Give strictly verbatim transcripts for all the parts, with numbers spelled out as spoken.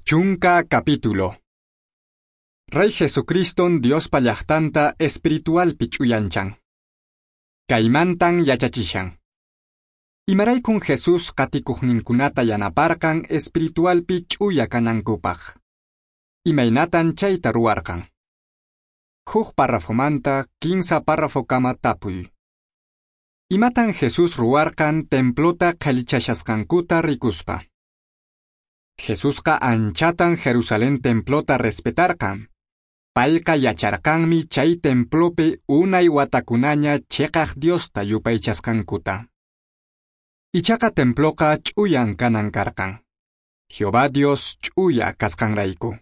Chunka capítulo. Rey Jesucriston Diospa llaqtanta espiritualpi ch'uyanchan. Kaymantan yachachishan. Imaraykun Jesús qatikuqninkunata yanaparqan espiritualpi ch'uya kanankupaq. Imaynatan chayta ruwarqan. Huk párrafomanta kinsa párrafokama tapuy. Imatan Jesús ruwarqan templota qhalichashasqankuta rikuspa. Jesusqa anchatan Jerusalén templota respetarqan. Payqa yacharqanmi chay templopi unay watakunaña chiqaq Diosta yupaychasqankuta. Ichaqa temploqa ch'uyan kanan karqan. Jehová Dios ch'uya kasqanrayku.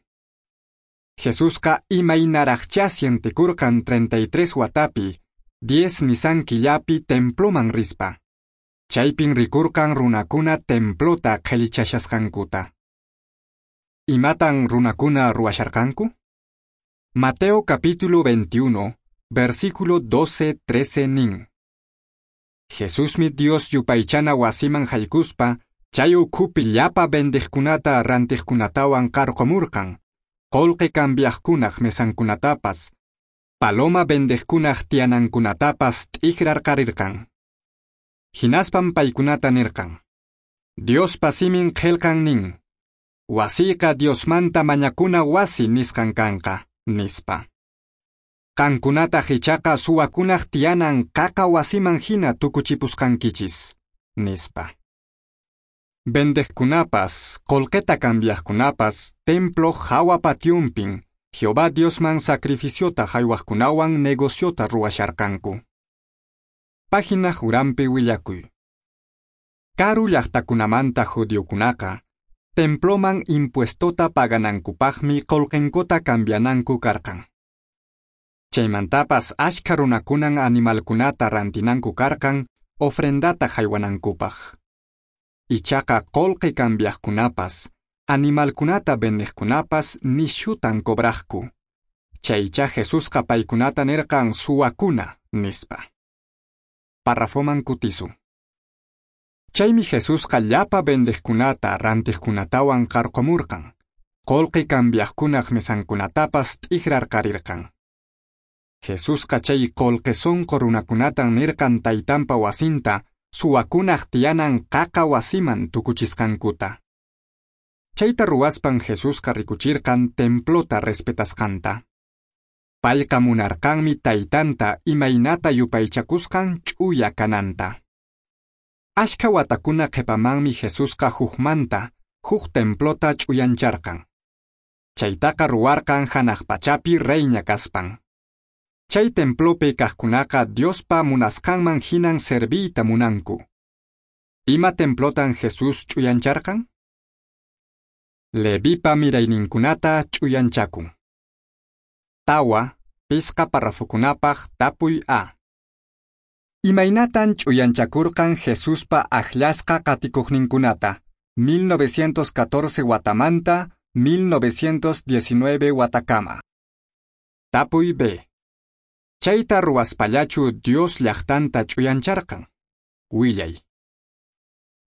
Jesusqa imaynaraqchá sientekurqan treinta y tres watapi, diez Nisan killapi temploman rispa. Chaypin rikurqan runakuna templota qhalichashasqankuta. Imatan runakuna ruwasharqanku? Mateo capítulo veintiuno, versículo doce trece nin. Jesusmi Dios yupaychana wasiman haykuspa, chay ukhupi llapa vendeqkunata rantiqkunatawan qarqumurqan, qullqi cambiaqkunaq mesankunatapas, paloma vendeqkunaq tiyanankunatapas t'ikrarqarirqan. Hinaspan paykunata nirqan: Diospa simin qillqan nin, wasiyqa Diosmanta mañakuna wasi nisqan kanqa, nispa. Qankunataq ichaqa suwakunaq tiyanan qaqa wasiman hina tukuchipusqankichis, nispa. Vendeqkunapas, qullqita cambiaqkunapas, templo hawa pationpin, Jehová Diosman sacrificiota haywaqkunawan negociota ruwasharqanku. Página uranpi willakuy. Karu llaqtakunamanta judiokunaqa, temploman impuestota paganankupaqmi qullqinkuta cambiananku karqan. Chaymantapas ashkha runakunan animalkunata rantinanku karqan ofrendata haywanankupaq. Ichaqa qullqi cambiaqkunapas, animalkunata vendeqkunapas nishutan cobraqku. Chaycha Jesusqa paykunata nirqan suwakuna, nispa. Párrafoman kutisun. Chaymi Jesusqa llapa vendeqkunata rantiqkunatawan qarqumurqan, qullqi cambiaqkunaq mesankunatapas t'ikrarqarirqan. Jesusqa chay qullqi sunqu runakunatan nirqan taytanpa wasinta suwakunaq tiyanan qaqa wasiman tukuchisqankuta. Chayta ruwaspan Jesusqa rikuchirqan templota respetasqanta. Payqa munarqanmi taytanta imaynata yupaychakusqan ch'uya kananta. Ashkha watakuna qhipamanmi Jesusqa hukmanta huk templota ch'uyancharqan. Chaytaqa ruwarqan hanaq pachapi reyña kaspan. Chay templopi kaqkunaqa Diospa munasqanman hinan serviyta munanku. Ima templotan Jesús ch'uyancharqan? Levipa mirayninkunata ch'uyanchakun. Tawa, pisqa parrafokunapaq tapuy A. Imaynatan ch'uyanchakurqan Jesuspa akllasqa qatikuqninkunata, mil novecientos catorce watamanta, mil novecientos diecinueve watakama. Tapuy B. Chayta ruwaspallachu Dios llaqtanta ch'uyancharqan. Willay.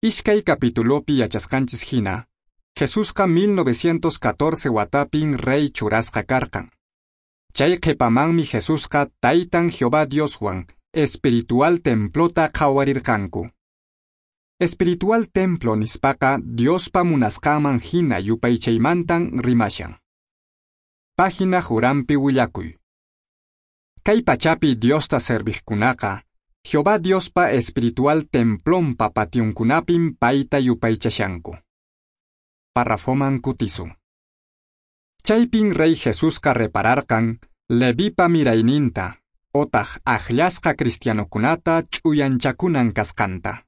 Iskay capitulopi yachasqanchis hina, Jesusqa mil novecientos catorce watapin rey churasqa karqan. Chay qhipamanmi Jesusqa taytan Jehová Dioswan espiritual templota qhawarirqanku. Espiritual templo nispaqa Diospa munasqanman hina yupaychaymantan rimashan. Página uranpi willakuy. Kay pachapi Diosta serviqkunaqa, Jehová Diospa espiritual templonpa pationkunapin payta yupaychashanku. Párrafoman kutisun. Chaypin rey Jesusqa repararqan Levipa mirayninta, otaq akllasqa cristianokunata ch'uyanchakunan kasqanta.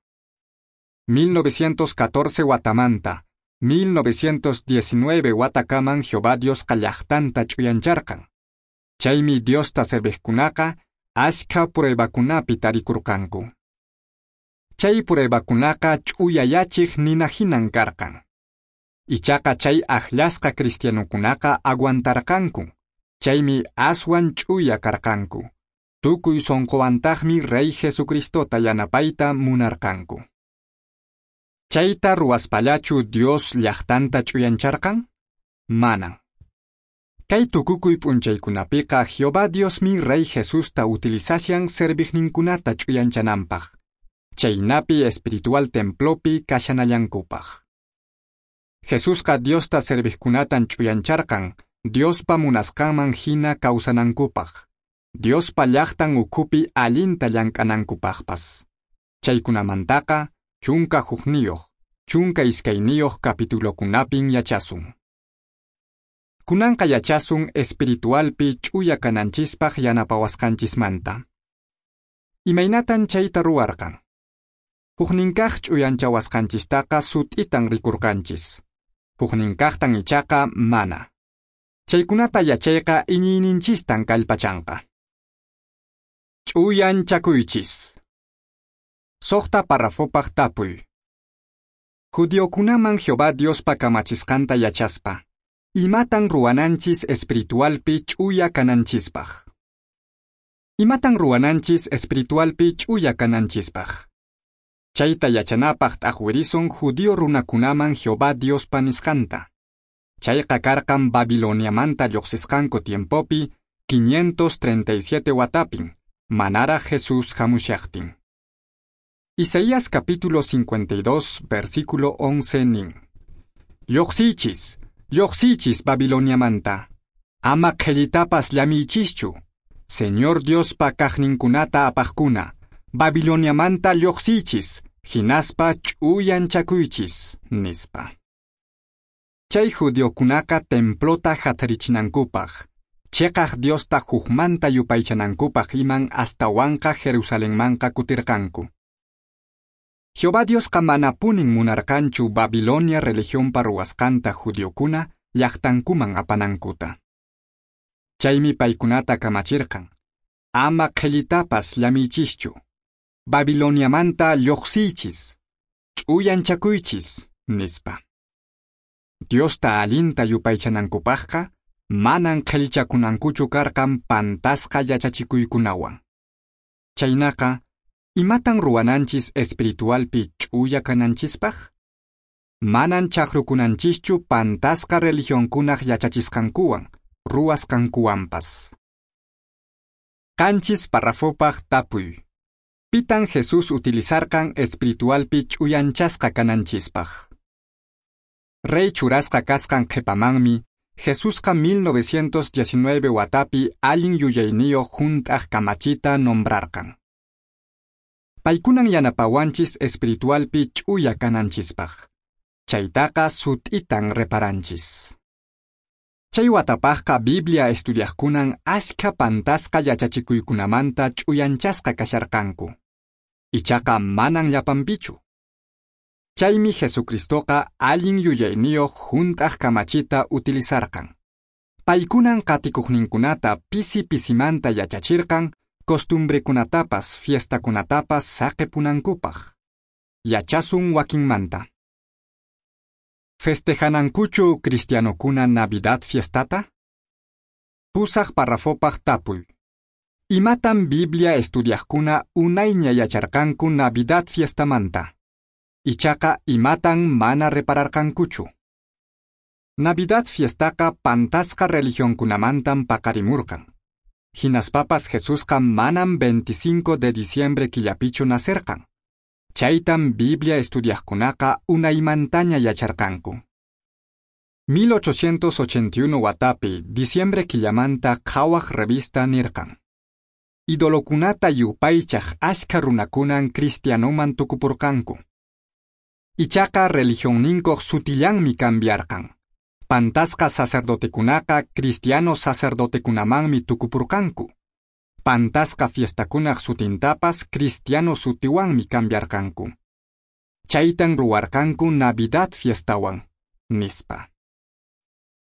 mil novecientos catorce watamanta, mil novecientos diecinueve watakaman Jehová Diosqa llaqtanta ch'uyancharqan. Chaymi Diosta serviqkunaqa ashkha pruebakunapi tarikurqanku. Chay pruebakunaqa ch'uyayachiq nina hinan karqan. Ichaqa chay akllasqa cristianokunaqa aguantarqanku, chaymi aswan ch'uya karqanku. Tukuy sunquwantaqmi Rey Jesucristota yanapayta munarqanku. Chayta ruwaspallachu Dios llaqtanta ch'uyancharqan? Manan. Kay tukukuy p'unchaykunapiqa Jehová Diosmi Rey Jesusta utilizashan serviqninkunata ch'uyanchananpaq, chaynapi espiritual templopi kashanallankupaq. Jesusqa Diosta serviqkunatan ch'uyancharqan Diospa munasqanman hina kawsanankupaq, Diospa llaqtan ukhupi allinta llank'anankupaqpas. Chaykunamantaqa chunka hukniyuq, chunka iskayniyuq capitulokunapin yachasun. Kunanqa yachasun espiritualpi ch'uya kananchispaq yanapawasqanchismanta. Imaynatan chayta ruwarqan? Hukninkaq ch'uyanchawasqanchistaqa sut'itan rikurqanchis. Hukninkaqtan ichaqa mana. Chaykunata yachayqa iñiyninchistan kallpachanqa. Ch'uyanchakuychis. Suqta parrafopaq tapuy. Judiokunaman Jehová Diospa kamachisqanta yachaspa, imatan ruwananchis espiritualpi ch'uya kananchispaq? Imatan ruwananchis espiritualpi ch'uya kananchispaq? Chayta yachanapaq t'aqwirisun judío runakunaman Jehová Diospa nisqanta. Chayqa karqan Babiloniamanta lluqsisqanku tiempopi quinientos treinta y siete watapin, manaraq Jesús hamushaqtin. Isaías capítulo cincuenta y dos, versículo once nin. Lluqsichis, lluqsichis Babiloniamanta. Ama qhellitapas llamiychischu. Señor Diospa kaqninkunata apaqkuna, Babiloniamanta lluqsichis, hinaspa ch'uyanchakuychis, nispa. Chay judiokunaqa templota hatarichinankupaq, cheqaq Diosta hukmanta yupaychanankupaq iman astawanqa Jerusalenmanqa kutirqanku. Jehová Diosqa manapunin munarqanchu Babilonia religionpa ruwasqanta judiokuna llaqtankuman apanankuta. Chaymi paykunata kamachirqan, ama qhellitapas llamiychischu, Babiloniamanta lluqsiychis, ch'uyanchakuychis, nispa. Diosta allinta yupaychanankupaqqa manan qhellichakunankuchu karqan pantasqa yachachikuykunawan. Chaynaqa, imatan ruwananchis espiritualpi ch'uya kananchispaq? Manan chaqrukunanchischu pantasqa religionkunaq yachachisqankuwan, ruwasqankuwanpas. Qanchis parrafopaq tapuy. Pitan Jesús utilizarqan espiritualpi ch'uyanchasqa kananchispaq? Rey churasqa kasqan qhipamanmi, Jesusqa mil novecientos diecinueve watapi allin yuyayniyuq hunt'aq kamachita nombrarqan. Paykunan yanapawanchis espiritualpi ch'uya kananchispaq. Chaytaqa sut'itan reparanchis. Chay watapaqqa Biblia estudiaqkunan ashkha pantasqa yachachikuykunamanta ch'uyanchasqa kasharqanku. Ichaqa manan llapanpichu. Chaymi Jesucristoqa allin yuyayniyuq hunt'aq kamachita utilizarqan. Paykunan qatikuqninkunata pisi pisimanta yachachirqan costumbrekunatapas fiestakunatapas saqipunankupaq. Yachasun wakinmanta. Festejanankuchu cristianokuna Navidad fiestata? Pusaq parrafopaq tapuy. Imatan Biblia estudiaqkuna unayña yacharqanku Navidad fiestamanta? Ichaqa imatan mana repararqankuchu? Navidad fiestaqa pantasqa religionkunamantan paqarimurqan. Hinaspapas Jesusqa manam veinticinco de diciembre killapichu nacerqan. Chaytan Biblia estudiaqkunaqa unaymantaña yacharqanku. mil ochocientos ochenta y uno watapi, diciembre killamanta qhawaq revista nirqan. Idolokunata yupaychaq ashkha runakunan cristianoman tukupurqanku. Ichaqa religionninkuq sutillanmi cambiarqan. Pantasqa sacerdotekunaqa cristiano sacerdotekunamanmi tukupurqanku. Pantasqa fiestakunaq sutintapas cristiano sutiwanmi cambiarqanku. Chaytan ruwarqanku Navidad fiestawan, nispa.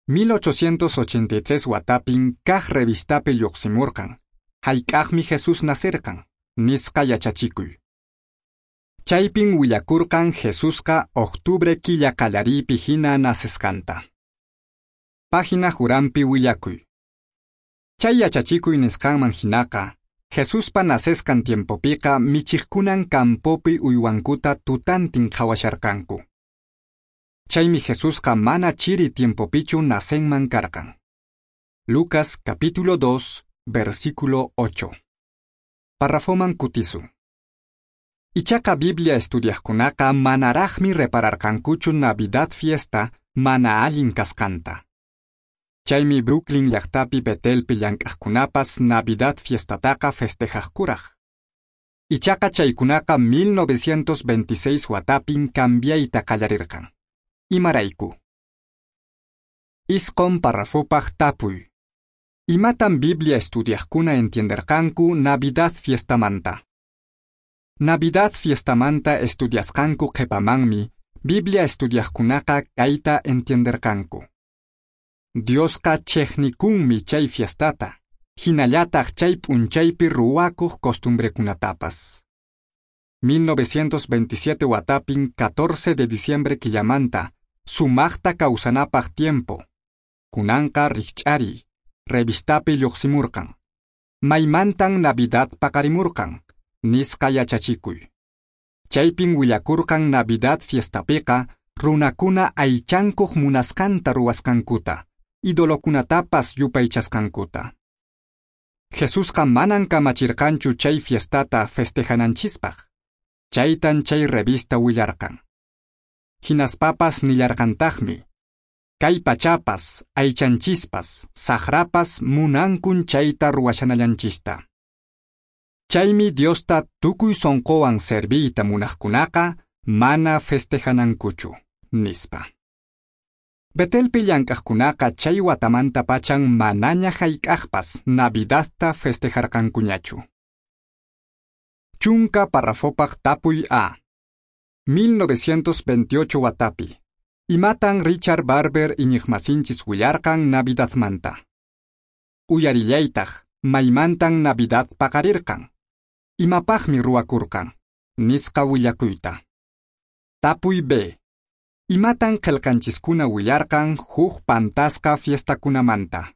mil ochocientos ochenta y tres watapin kaq revistapi lluqsimurqan, hayk'aqmi Jesús nacerqan, nisqa yachachikuy. Chaypin willakurqan Jesusqa octubre killa qallariypi hina nacesqanta. Página Jurampi willakuy. Chay yachachikuy nisqanman hinaqa, Jesuspa nacesqan tiempopiqa michiqkunan campopi uywankuta tutantin qhawasharqanku. Chaymi Jesusqa mana chiri tiempopichu nacenman karqan. Lucas capítulo dos, versículo ocho. Parrafoman kutisun. Ichaqa Biblia estudiaqkunaqa manaraqmi repararqankuchu Navidad fiesta mana allin kasqanta. Chaymi Brooklyn llaqtapi Betelpi llank'aqkunapas Navidad fiestataqa festejaqkuraq. Ichaqa chaykunaqa mil novecientos veintiséis watapin cambiayta qallarirqan. Imarayku. Isqon parrafopaq tapuy. Imatan Biblia estudiaqkuna entienderqanku Navidad fiestamanta? Navidad fiestamanta estudiasqanku qhipamanmi Biblia estudiaqkunaqa kayta entienderqanku. Diosqa chiqnikunmi chay fiestata, hinallataq chay p'unchaypi ruwakuq costumbrekunatapas. mil novecientos veintisiete watapin catorce de diciembre killamanta, sumaqta kawsanapaq tiempo. Kunanqa rikch'ari, revistapi lluqsimurqan. Maymantan Navidad paqarimurqan, nisqa yachachikuy. Chaypin willakurqan Navidad fiestapiqa runakuna aychankuq munasqanta ruwasqankuta, idolokunatapas yupaychasqankuta. Jesusqa manan kamachirqanchu chay fiestata festejananchispaq. Chaytan chay revista willarqan. Hinaspapas nillarqantaqmi, kay pachapas, aychanchispas, saqrapas munankun chayta ruwashanallanchista. Chaymi Diosta tukuy sonqowan serviyta munaqkunaqa mana festejanankuchu, nispa. Betelpi llank'aqkunaqa chay watamanta pachan manaña hayk'aqpas Navidadta festejarqankuñachu. Chunka parrafopaq tapuy A. mil novecientos veintiocho watapi. Imatan Richard Barber iñiqmasinchis willarqan Navidadmanta. Uyarillaytaq, maymantan Navidad paqarirqan. Imapaqmi ruwakurqan, nisqa willakuyta. Tapuy B. Imatan qillqanchiskuna willarqan huk pantasqa fiestakunamanta.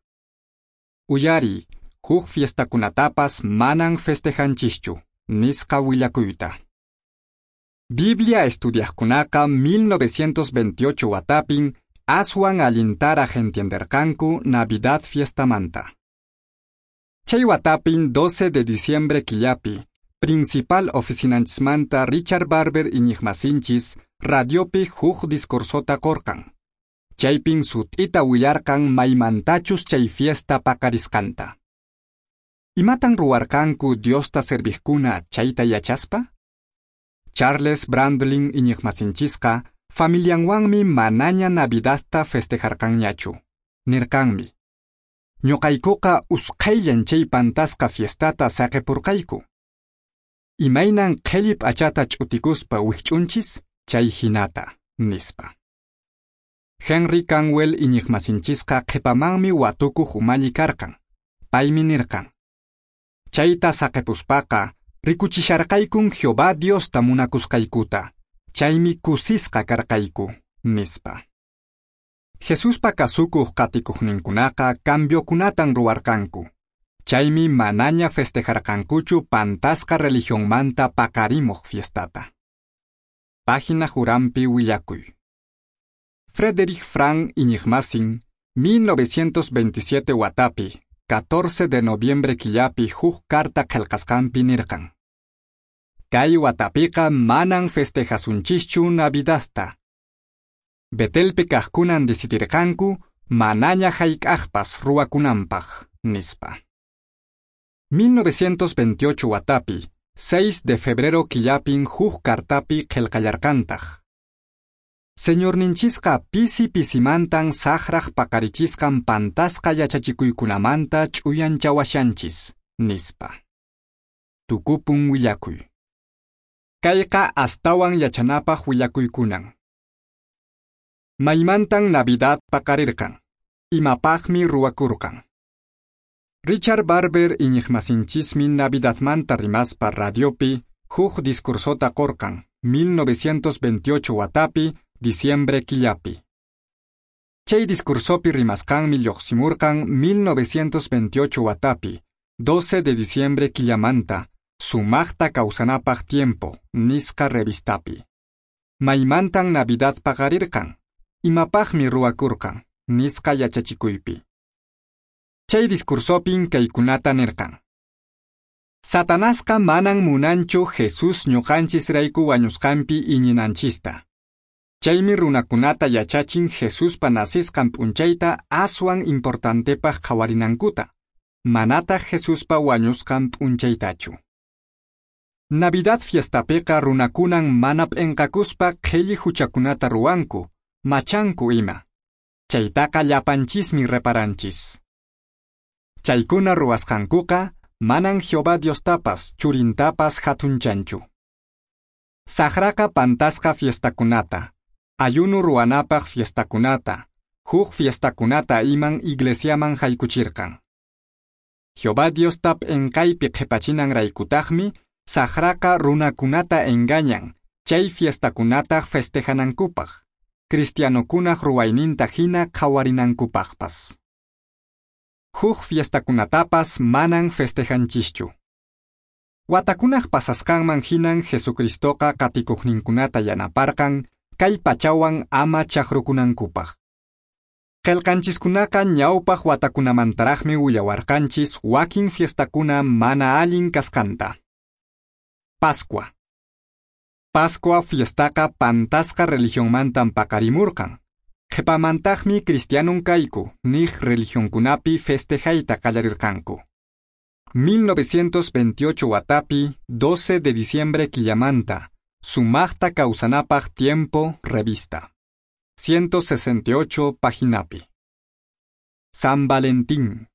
Uyari, huk fiestakunatapas manan festejanchischu, nisqa willakuyta. Biblia estudiaqkunaqa mil novecientos veintiocho watapin aswan allintaraq entienderqanku Navidad fiestamanta. Chay watapin doce de diciembre killapi, principal oficinanchismanta Richard Barber iñiqmasinchis radiopi huk discursota qorqan. Chaypin sut'ita willarqan maymantachus chay fiesta paqarisqanta. Imatan ruwarqanku Diosta serviqkuna chayta yachaspa? Charles Brandlin iñiqmasinchisqa familianwanmi manaña Navidadta festejarqanñachu. Nirqanmi: ñuqaykuqa usqhayllan chay pantasqa fiestata saqipurqayku. Imaynan qhelli p'achata ch'utikuspa wikch'unchis chay hinata, nispa. Henry Canwell iñiqmasinchisqa qhipamanmi watukuq umalli karqan. Paymi nirqan: chayta saqipuspaqa rikuchisharqaykun Jehová Diosta munakusqaykuta, chaymi kusisqa karqayku, nispa. Jesuspa kasukuq qatikuqninkunaqa cambiokunatan ruwarqanku. Chaymi manaña festejarqankuchu pantasqa religionmanta paqarimuq fiestata. Página Jurampi willakuy. Frederick Frank iñiqmasin, mil novecientos veintisiete watapi, catorce de noviembre killapi huk carta qillqasqanpi nirqan: kay watapiqa manan festejasunchischu Navidadta. Betelpi kaqkunan decidirqanku manaña hayk'aqpas ruwakunanpaq, nispa. mil novecientos veintiocho watapi, seis de febrero killapin huk cartapi qillqallarqantaq: Señorninchisqa pisi pisimantan saqraq paqarichisqan pantasqa yachachikuykunamanta ch'uyanchawashanchis, nispa. Tukupun willakuy. Kayqa astawan yachanapaq willakuykunan. Maymantan Navidad paqarirqan. Imapaqmi ruwakurqan. Richard Barber iñiqmasinchismi Navidadmanta rimaspa radiopi huk discursota qorqan mil novecientos veintiocho watapi, diciembre killapi. Chay discursopi rimasqanmi lluqsimurqan mil novecientos veintiocho watapi, doce de diciembre killamanta, sumaqta kawsanapaq tiempo, nisqa revistapi. Maymantan Navidad paqarirqan. Imapaqmi ruwakurqan, nisqa yachachikuypi. Chay discursopin kaykunata nirqan. Satanasqa manan munanchu Jesús ñuqanchisrayku wañusqanpi iñinanchista. Chaymi runakunata yachachin Jesuspa nacisqan p'unchayta aswan importantepaq qhawarinankuta, manataq Jesuspa wañusqan p'unchaytachu. Navidad fiestapiqa runakunan mana p'enqakuspa qhelli huchakunata ruwanku, machanku ima. Chaytaqa llapanchismi reparanchis. Chaykuna ruwasqankuqa manan Jehová Diostapas churintapas hatunchanchu. Saqraqa pantasqa fiestakunata, ayuno ruwanapaq fiestakunata, huk fiestakunata iman iglesiaman haykuchirqan. Jehová Diosta p'enqaypi qhipachinanraykutaqmi saqraqa runakunata engañan, chay fiestakunata festejanankupaq, cristianokunaq ruwayninta hina qhawarinankupaqpas. Huk fiestakunatapas manan festejanchischu. Watakunaq pasasqanman hinan Jesucristoqa qatikuqninkunata yanaparqan kay pachawan ama chaqrukunankupaq. Qillqanchiskunaqa ñawpaq watakunamantaraqmi willawarqanchis wakin fiestakuna mana allin kasqanta. Pascua. Pascua fiestaqa pantasqa religionmantan paqarimurqan. Qhipamantaqmi cristianon kayku niq religionkunapi festejayta qallarirqanku. mil novecientos veintiocho watapi, doce de diciembre quillamanta, Sumaqta kawsanapaq tiempo, revista. ciento sesenta y ocho paginapi. San Valentín.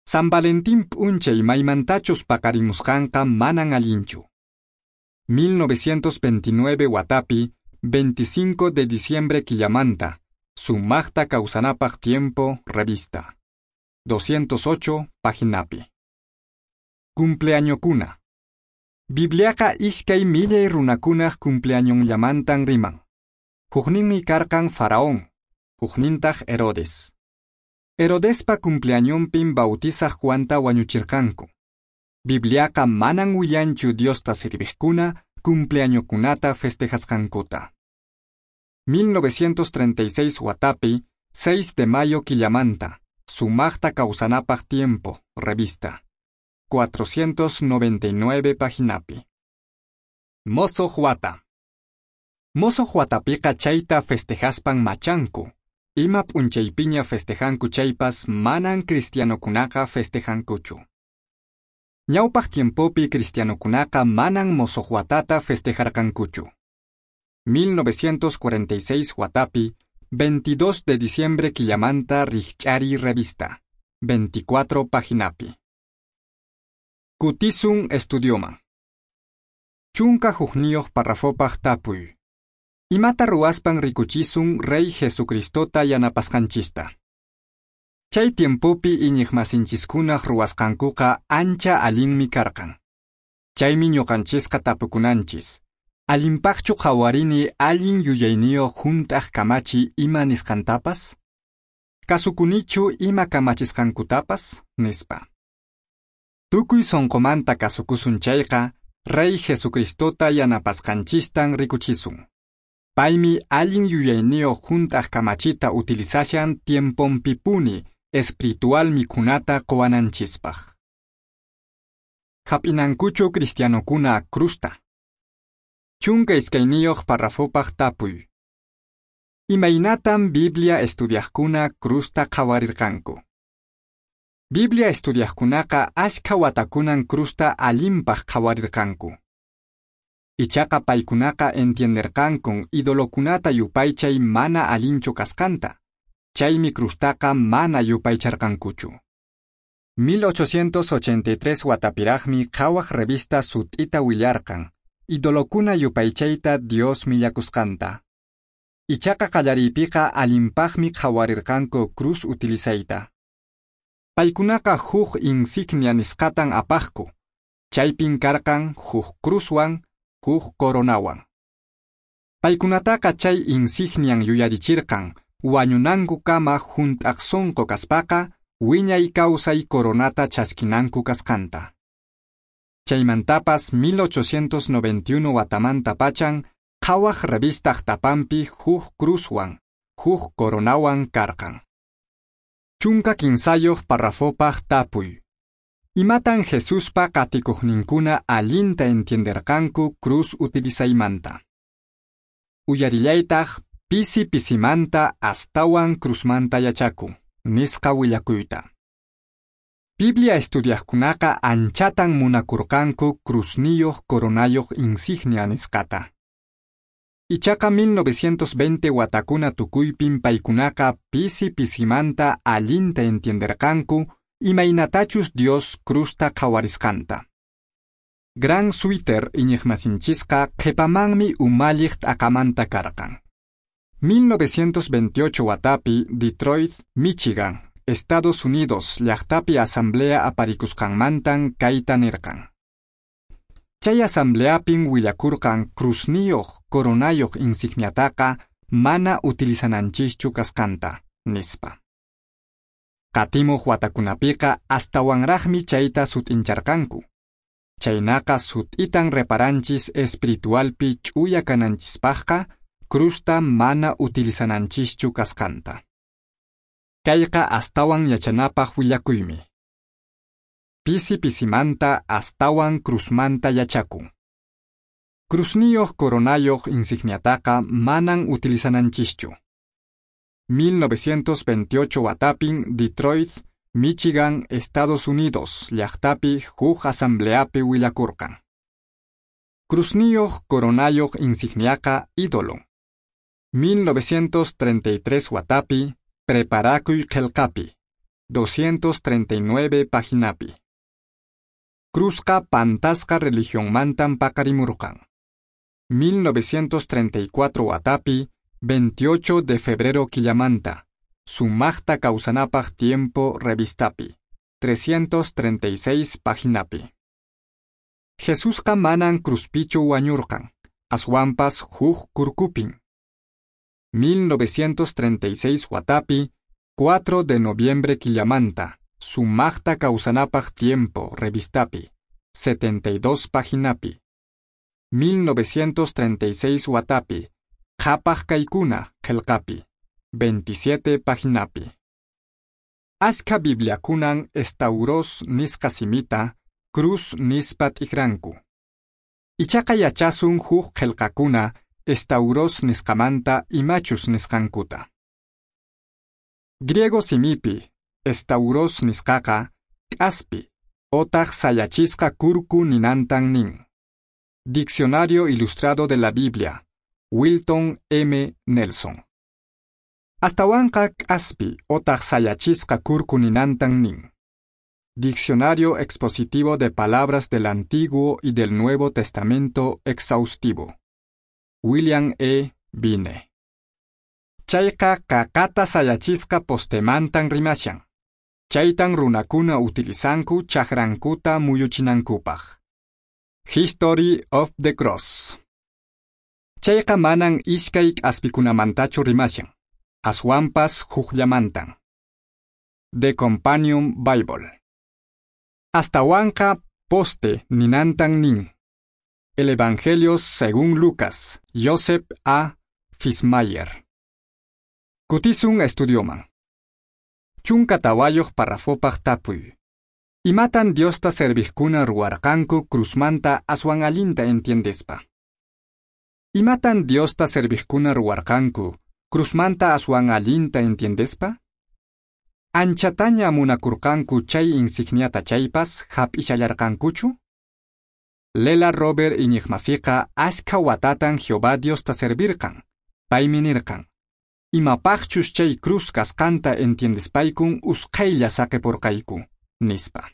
San Valentín p'unchay maymantachus paqarimusqanqa manan allinchu. mil novecientos veintinueve watapi, veinticinco de diciembre quillamanta, Sumaqta kawsanapaq tiempo, revista. doscientos ocho paginapi. Cumpleañokuna. Bibliaqa iskay millay runakunaq cumpleañonllamantan riman. Hukninmi karqan Faraón, huknintaq Herodes. Herodespa cumpleañonpin bautizaq Juanta wañuchirqanku. Bibliaqa manan willanchu Diosta sirviqkuna cumpleañokunata festejasqankuta. mil novecientos treinta y seis watapi, seis de mayo quillamanta, Sumaqta kawsanapaq tiempo, revista. cuatrocientos noventa y nueve paginapi. Mosoq wata. Mosoq watapiqa chayta festejaspan machanku. Ima p'unchaypiña festejanku chaypas manan cristianokunaqa festejankuchu. Ñawpaq tiempopi cristianokunaqa manan mosoq watata festejarqankuchu. mil novecientos cuarenta y seis watapi, veintidós de diciembre quillamanta Rikch'ariy revista, veinticuatro paginapi. Kutisun estudioman. Chunka hukniyuq parrafopaq tapuy. Imata ruwaspan rikuchisun Rey Jesucristota yanapasqanchista. Chay tiempopi iñiqmasinchiskunaq ruwasqankuqa ancha allinmi karqan. Chaymi ñuqanchisqa tapukunanchis. Allinpaqchu qhawarini allin yuyayniyuq hunt'aq kamachi ima nisqantapas? Kasukunichu ima kamachisqankutapas? Nispa. Tukuy sunqumanta kasukusun chayqa, Rey Jesucristota yanapasqanchistan rikuchisun. Paymi allin yuyayniyuq hunt'aq kamachita utilizashan tiemponpipuni espiritual mikhunata quwananchispaq. Hap'inankuchu cristianokuna crusta. Chunka iskayniyuq parrafopaq tapuy. Imaynatam Biblia estudiaqkuna crusta qhawarirqanku? Biblia estudiaqkunaqa ashkha watakunan crusta allinpaq qhawarirqanku. Ichaqa paykunaqa entienderqankun idolokunata yupaychay mana allinchu kasqanta. Chaymi crustaqa mana yupaycharqankuchu. mil ochocientos ochenta y tres watapiraqmi Qhawaq revista sut'ita willarqan, idolokuna yupaychayta Dios millakusqanta. Ichaqa qallariypiqa allinpaqmi qhawarirqanku cruz utilizayta. Paykunaqa huk insignia nisqatan apaqku, chaypin karqan huk cruzwan, huk coronawan. Paykunataqa chay insignian yuyarichirqan, wañunankukama hunt'aq sunqu kaspaqa, wiñay kawsay coronata chaskinanku kasqanta. Chaymantapas mil ochocientos noventa y uno watamanta pachan, Qhawaq revistaq tapanpi huk cruzwan, huk coronawan karqan. Chunka kinsayoq parrafopaq tapuy. Imatan Jesuspa qatikuqninkuna allinta entienderqanku cruz utilizaymanta. Uyarillaytaq pisi pisimanta astawan cruzmanta yachaku, nisqa willakuyta. Biblia estudiaqkunaqa anchatan munakurqanku cruzniyuq coronayuq insignia nisqata. Ichaqa mil novecientos veinte watakuna tukuypin paykunaqa pisi pisimanta allinta entienderqanku imaynatachus Dios cruzta qhawarisqanta. Gran Suiter iñiqmasinchisqa qhipamanmi umalliq t'aqamanta karqan. mil novecientos veintiocho watapi Detroit, Michigan, Estados Unidos llaqtapi asamblea aparikusqanmantan kayta nirqan. Chay asambleapin willakurqan cruzniyuq coronayuq insigniataqa mana utilizananchischu kasqanta, nispa. Qatimuq watakunapiqa astawanraqmi chayta sut'incharqanku. Chaynaqa sut'itan reparanchis espiritualpi ch'uya kananchispaqqa cruzta mana utilizananchischu kasqanta. Kayqa astawan yachanapaq willakuymi. Pisi pisimanta astawan cruzmanta yachakun. Cruzniyuq coronayuq insigniataqa manan utilizananchischu. mil novecientos veintiocho watapin Detroit, Michigan, Estados Unidos llaqtapi huk asambleapi willakurqan. Cruzniyuq coronayuq insigniaqa ídolo. mil novecientos treinta y tres watapi Preparakuy qillqapi, doscientos treinta y nueve paginapi. Cruzqa pantasqa religionmantan paqarimurqan. mil novecientos treinta y cuatro watapi, veintiocho de febrero killamanta, Sumaqta kawsanapaq tiempo revistapi, trescientos treinta y seis paginapi. Jesusqa manan cruzpichu wañurqan, aswanpas huk kurkupin. mil novecientos treinta y seis watapi, cuatro de noviembre killamanta, Sumaqta kawsanapaq tiempo revistapi, setenta y dos paginapi. mil novecientos treinta y seis watapi, Qhapaq kaykuna qillqapi, veintisiete paginapi. Ashka bibliakunan estauros nisqa simita, cruz nispa t'ikranku. Ichaqa yachasun huk qillqakuna estauros nisqamanta imachus nisqankuta. Griego simipi, estauros nisqaqa, k'aspi, otaq sayachisqa kurku ninantan nin. Diccionario Ilustrado de la Biblia, Wilton M. Nelson. Astawanqa k'aspi otaq sayachisqa kurku ninantan nin. Diccionario Expositivo de Palabras del Antiguo y del Nuevo Testamento Exhaustivo. William E. Vine. Chayqa qaqata sayachisqa postemantan rimashan. Chaytan runakuna utilizanku chakrankuta muyuchinankupaq. History of the Cross. Chayqa manan iskay k'aspikunamantachu rimashan, aswanpas hukllamantan. The Companion Bible. Astawanqa poste ninantan nin. El Evangelio según Lucas, Joseph A. Fismayer. Kutisun estudioman. Chunka tawayoq parrafopaq tapuy. Imatan Diosta serviqkuna ruwarqanku cruzmanta aswan allinta entiendespa. Imatan Diosta serviqkuna ruwarqanku cruzmanta aswan allinta entiendespa? Anchataña munakurqanku chay insigniata chaypas hap'ishallarqankuchu? Lela Robert iñiqmasiqa ashka watatan Jehová Diosta servirqan. Paymi nirqan: Imapaqchus chay cruz kasqanta entiendespaykun usqhaylla saqipurqayku, nispa.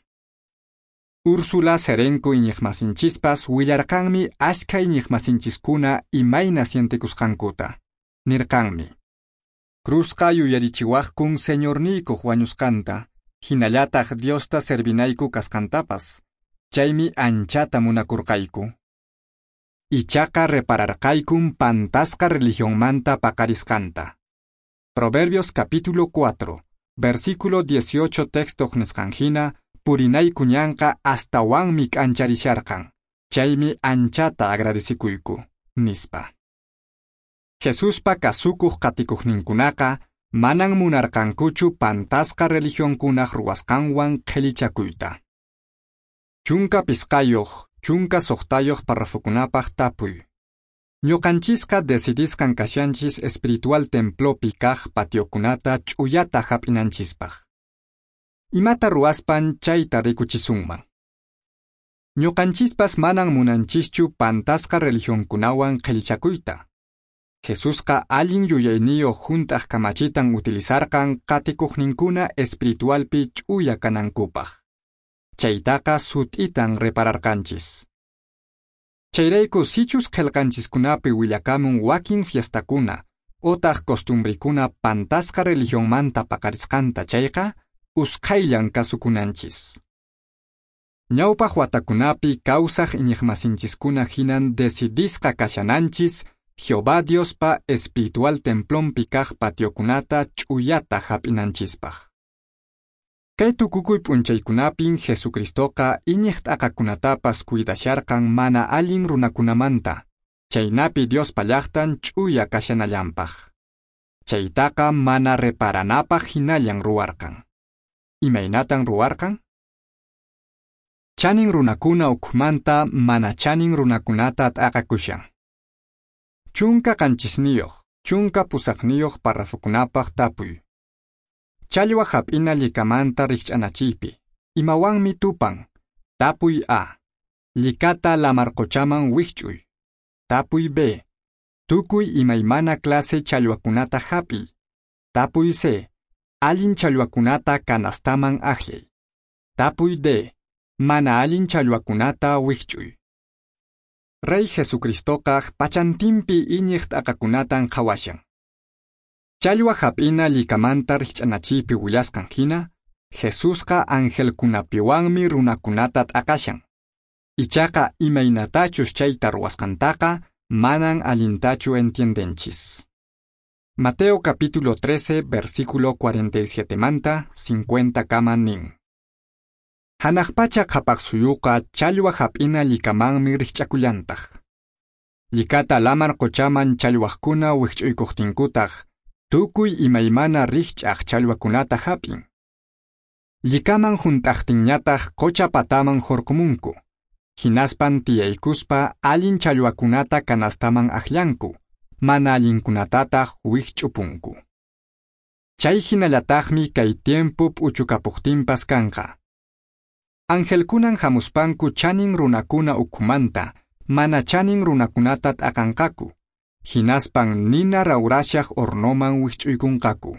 Úrsula Serenko iñiqmasinchispas willarqanmi ashka iñiqmasinchiskuna imayna sientekusqankuta. Nirqanmi: Cruzqa yuyarichiwaqkun Señorniykuq wañusqanta, hinallataq Diosta servinayku kasqantapas, chaymi anchata munakurqayku. Ichaqa repararqaykun pantasqa religionmanta paqarisqanta. Proverbios capítulo cuatro, versículo dieciocho texto nisqan hina, purinayku ñanqa astawanmi k'ancharisharqan, chaymi anchata agradecikuyku, nispa. Jesuspa kasukuq qatikuqninkunaqa manan munarqankuchu pantasqa religionkunaq ruwasqanwan qhellichakuyta. Chunka pisqayoq, chunka soqtayoq parrafokunapaq tapuy. Ñuqanchisqa decidisqan kashanchis espiritual templopi kaq patiokunata ch'uyata hap'inanchispaq. Imata ruwaspan chayta rikuchisunman. Ñuqanchispas manan munanchischu pantasqa religionkunawan qhellichakuyta. Jesusqa allin yuyayniyuq hunt'aq kamachitan utilizarqan qatikuqninkuna espiritualpi ch'uya kanankupaq. Chaytaqa sut'itan repararqanchis. Chayrayku sichus qillqanchiskunapi willakamun wakin fiestakuna otaq costumbrikuna pantasqa religionmanta paqarisqanta chayqa, usqhayllan kasukunanchis. Ñawpaq watakunapi kawsaq iñiqmasinchiskuna hinan decidisqa kashananchis Jehová Diospa espiritual templonpi kaq patiokunata ch'uyata hap'inanchispaq. Kay tukukuy p'unchaykunapin Jesucristoqa iñiq t'aqakunatapas cuidasharqan mana allin runakunamanta, chaynapi Diospa llaqtan ch'uya kashanallanpaq. Chaytaqa mana reparanapaq hinallan ruwarqan. Imaynatan ruwarqan? Chanin runakuna ukhumanta mana chanin runakunata t'aqakushan. Chunka qanchisniyuq, chunka pusaqniyuq parrafokunapaq tapuy. Challwa hap'ina llikamanta rikch'anachiypi, imawanmi tupan? Tapuy A. Llikata lamarquchaman wikch'uy. Tapuy B. Tukuy imaymana clase challwakunata hap'iy. Tapuy C. Allin challwakunata kanastaman akllay. Tapuy D. Mana allin challwakunata wikch'uy. Rey Jesucristoqa pachantinpi iñiq t'aqakunatan qhawashan. Challwa hap'ina llikamanta rikch'anachiypi willasqan hina, Jesusqa angelkunapiwanmi runakunata t'aqashan. Ichaqa imaynatachus chayta ruwasqantaqa manan allintachu entiendenchis. Mateo capítulo trece, versículo cuarenta y siete manta cincuenta kama nin. Hanaq pacha qhapaq suyuqa challwa hap'ina llikamanmi rikch'akullantaq. Llikata lamar quchaman challwaqkuna wikch'uykuqtinkutaq, tukuy imaymana rikch'aq challwakunata hap'in. Llikaman hunt'aqtinñataq qucha pataman hurqumunku. Hinaspan tiyaykuspa allin challwakunata kanastaman akllanku, mana allinkunatataq wikch'upunku. Chay hinallataqmi kay tiempo p'uchukapuqtinpas kanqa. Angelkunan hamuspanku chanin runakuna ukhumanta, mana chanin runakunata t'aqanqaku. Hinaspan nina rawrashaq hornoman wikch'uykunqaku.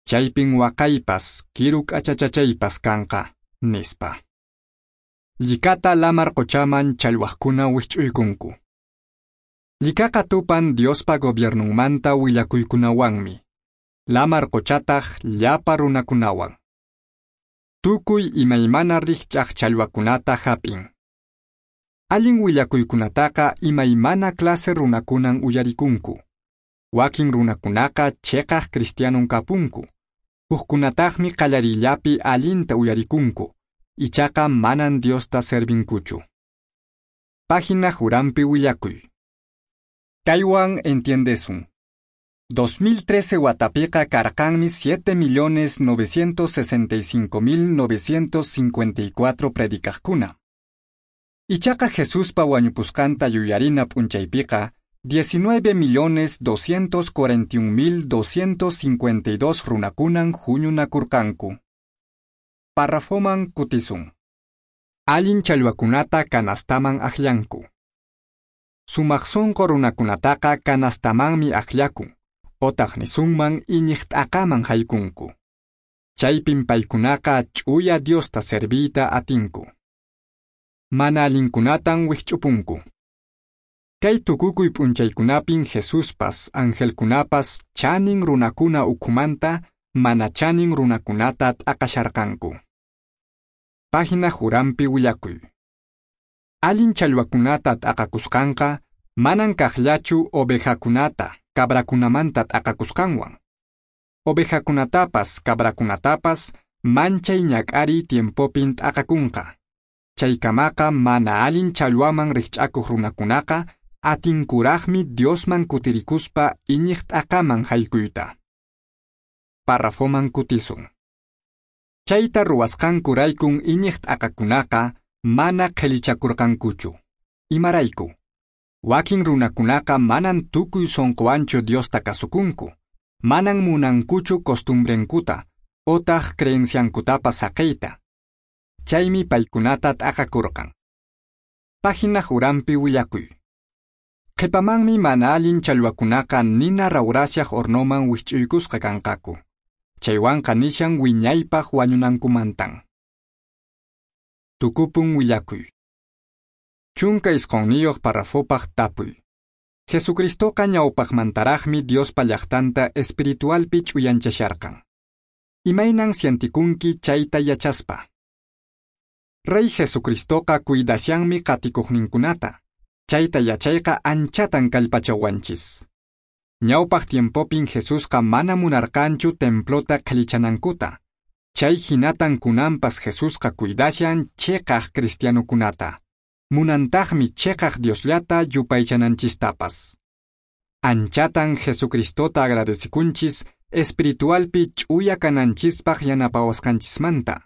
Chaypin waqaypas, kiru k'achachachaypas kanqa, nispa. Llikata lamar quchaman challwaqkuna wikch'uykunku. Llikaqa tupan Diospa gobiernunmanta willakuykunawanmi. Lamar quchataq llapa runakunawan. Tukuy imaymana rikch'aq challwakunata hap'in. Allin willakuykunataqa imaymana clase runakunan uyarikunku. Wakin runakunaqa cheqaq cristianon kapunku. Hukkunataqmi qallarillapi allinta uyarikunku. Ichaqa manan Diosta servinkuchu. Página Jurampi willakuy. Kaywan entiendesun. dos mil trece watapiqa karqanmi siete millones novecientos sesenta y cinco mil novecientos cincuenta y cuatro predicaqkuna. Ichaqa Jesuspa wañupusqanta yuyarina p'unchaypiqa diecinueve millones doscientos cuarenta y un mil doscientos cincuenta y dos runakunan huñunakurqanku. Parrafoman kutisun. Allin challwakunata kanastaman akllanku. Sumaq sunqu runakunataqa kanastamanmi akllakun, otaq nisunman iñiq t'aqaman haykunku. Chaypin paykunaqa ch'uya Diosta serviyta atinku. Mana allinkunatan wikch'upunku. Kay tukukuy p'unchaykunapin Jesuspas, angelkunapas chanin runakuna ukhumanta mana chanin runakunata t'aqasharqanku. Página Jurampi willakuy. Allin challwakunata t'aqakusqanqa manan kaqllachu ovejakunata, cabrakunamanta t'aqakusqanwan. Ovejakunatapas, cabrakunatapas manchay ñak'ariy tiempopin t'aqakunqa. Chaykamaqa mana allin challwaman rikch'akuq runakunaqa Atinkuraqmi Diosman kutirikuspa iñiq t'aqaman haykuyta. Parrafoman kutisun. Chayta ruwasqankuraykun iñiq t'aqakunaqa mana qhillichakurqankuchu. Imarayku? Wakin runakunaqa manan tukuy sonqowanchu Diosta kasukunku, manan munankuchu costumbrenkuta, otaq creenciankutapas saqeyta. Chaymi paykunata t'aqakurqan. Página uranpi willakuy. Qhipamanmi mana allin challwakunaqa nina rawrashaq hornoman wisch'uykusqa kanqaku. Chaywanqa nishan wiñaypaq wañunankumantan. Tukupun willakuy. Chunka isqonniyuq parrafopaq tapuy. Jesucristoqa ñawpaqmantaraqmi Diospa llaqtanta espiritualpi ch'uyanchasharqan. Imaynan sientikunki chayta yachaspa? Rey Jesucristoqa cuidashanmi qatikuqninkunata. Chayta yachayqa anchatan kallpachawanchis. Ñawpaq tiempopin Jesusqa mana munarqanchu templota qhellichanankuta. Chay hinatan kunanpas Jesusqa cuidashan cheqaq cristianokunata. Munantaqmi cheqaq Diosllata yupaychananchistapas. Anchatan Jesucristota agradecikunchis espiritualpi ch'uya kananchispaq yanapawasqanchismanta.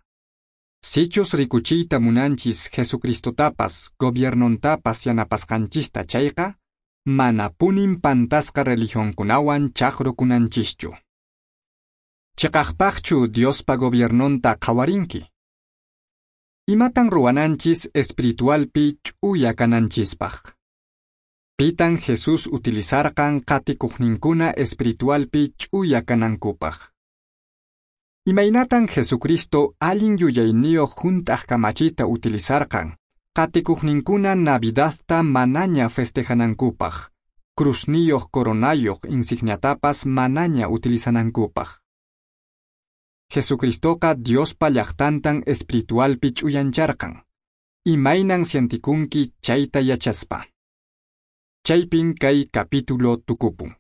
Sichus rikuchiyta munanchis Jesucristotapas gobiernontapas yanapasqanchista chayqa, manapunin pantasqa religionkunawan chaqrukunanchischu. Chiqaqpaqchu Diospa gobiernonta qhawarinki? Imatan ruwananchis espiritualpi ch'uya kananchispaq? Pitan Jesús utilizarqan qatikuqninkuna espiritualpi ch'uya kanankupaq? Imaynatan Jesucristo allin yuyayniyuq hunt'aq kamachita utilizarqan qatikuqninkuna Navidadta manaña festejanankupaq, cruzniyuq coronayuq insigniatapas manaña utilizanankupaq? Jesucristoqa Diospa llaqtantan espiritualpi ch'uyancharqan. Imaynan sientikunki chayta yachaspa? Chaypin kay capítulo tukupun.